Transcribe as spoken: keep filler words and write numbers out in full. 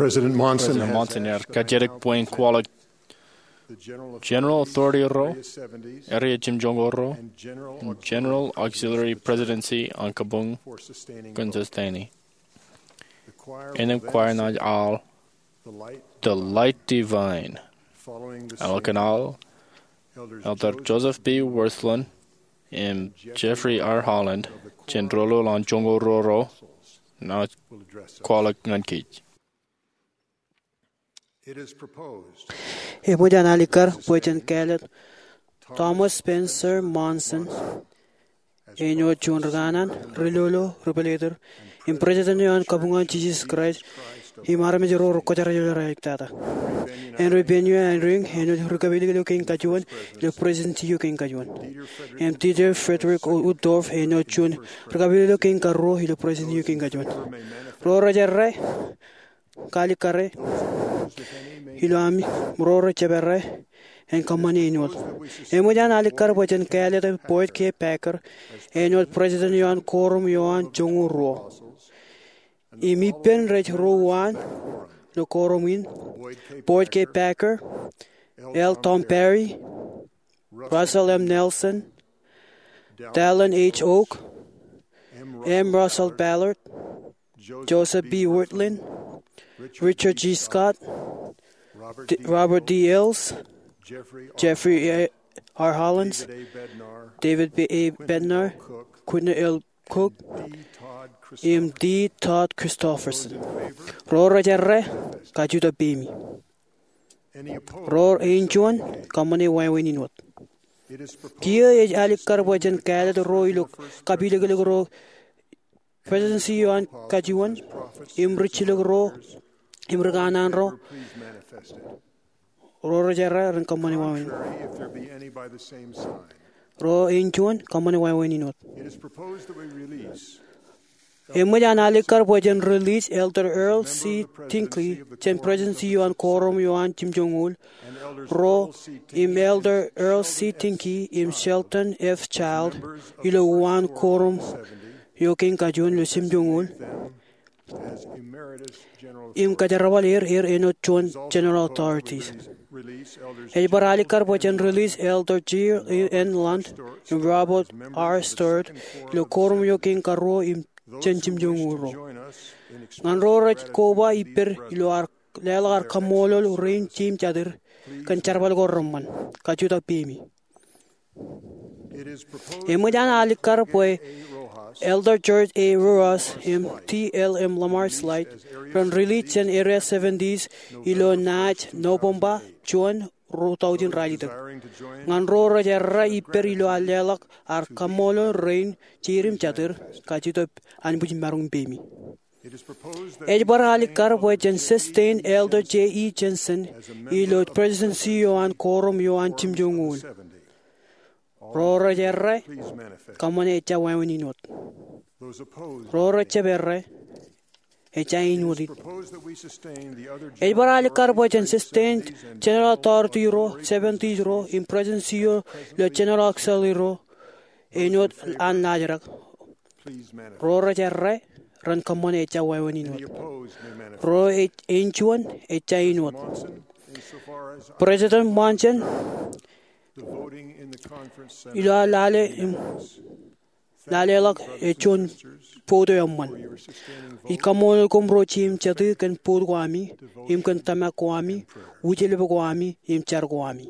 President Monson ear kajjitōk bwe in kwaḷọk General Authority ro, Area Jimjoñoul ro, im General Auxiliary Presidency an kabuñ kōn sustaining. Innām choir in aḷ The Light Divine. Eḷap kōn aḷ, Elder Joseph B. Wirthlin im Jeffrey R. Holland jān doulul an joñoul ruo ro, naaj kwaḷọk ñan kōj. Eṃōj an alikkar bwe jen kāālōt Thomas Spencer Monson āinwōt juon ri kanaan, ri lolo, ri pālōtōr, im President eo an kabuñ an Jesus Christ, im armej ro rekwōjarjar ilo ralitōñtak. Henry Bennion Eyring āinwōt ri kapilōklōk kein kajuon ilo Presidency eo kein kajuon. Im Dieter Friedrich Uchtdorf āinwōt juon ri kapilōklōk kein karuo ilo Presidency eo kein kajuon. Ro rej errā kalikkare ilo ami, ro rej jab errā en kōṃṃane āinwōt. Eṃōj an alikkar bwe jen kāālōt Boyd K. Packer āinwōt President eo an koorum eo an joñoul ruo. Im ippān rej ro uwaan ilo koorum in: Boyd K. Packer, L. Tom Perry, Russell M. Nelson, Dallin H. Oak, M. Russell Ballard, Joseph B. Wirthlin, Richard G. Scott, D-, Robert D. Hales, Jeffrey R. Holland, David A. Bednar, Quentin L. Cook, im D. Todd Christofferson. Ro rej errā, kajutak peimi. Ro eo ej juon, kōṃṃane wāween in wōt. Kiiō ej alikkar bwe jen kāālōt ro ilo kapilōklōk ro Presidency eo an kajuon, im ri jilōk ro, im ri kanaan ro. Ro rej errā ren kōṃṃane wāween. Ro eo ej juon, kōṃṃane wāween in wōt. Eṃōj an alikkar bwe jen release Elder Earl C. Tingke jān Presidency eo an koorum eo an jimjoñoul ro, im Elder Earl C. Tingke im Sheldon F. Child ilo uwaan koorum eo kein kajuon ilo jimjoñoul, im kōjerbal er, er āinwōt juon General Authorities. Ej bar alikkar bwe jen release Elder J. N. Lund im Robert R. Stewart ilo koorum eo kein karuo im jān jimjoñoul ro. Ñan ro rej koba ippād ilo ad leḷọk ad kaṃṃoolol rein jeiū im jatid kōn jerbal ko reṃṃan, kajutak peimi. Eṃōj an alikkar bwe Elder George A. Rojas im T. L. M. Lamar Slight ren release jān Area Seventies ilo naaj Nobōṃba juon, ruo taujin ralitōk. Ñan ro rej errā ippād ilo ad leḷọk ad kaṃṃoolol rein jeiū im jatid, kajutak, anbwijmaroñ peimi. Ej bar alikkar bwe jen sustain Elder J. E. Jensen ilo Presidency eo an koorum eo an jimjoñoul. Ro rej errā, kōṃṃane ejja wāween in wōt. Ro rej jab errā, ejja āinwōt it. Ej bar alikkar bwe jen sustain General Authority ro, Seventies ro, im Presidency eo ilo General Auxiliary ro āinwōt an laajrak. Ro rej errā, ren kōṃṃane ejja wāween in wōt. Ro eo ej juon, ejja āinwōt. President Monson, ilo ad lale im laleḷọk ej juon vote eo eṃṃan. Ij kaṃṃoolol koṃ ro jeiū im jatū kōn vote ko ami, im kōn tōmak ko ami, wūjlepek ko ami, im jar ko ami.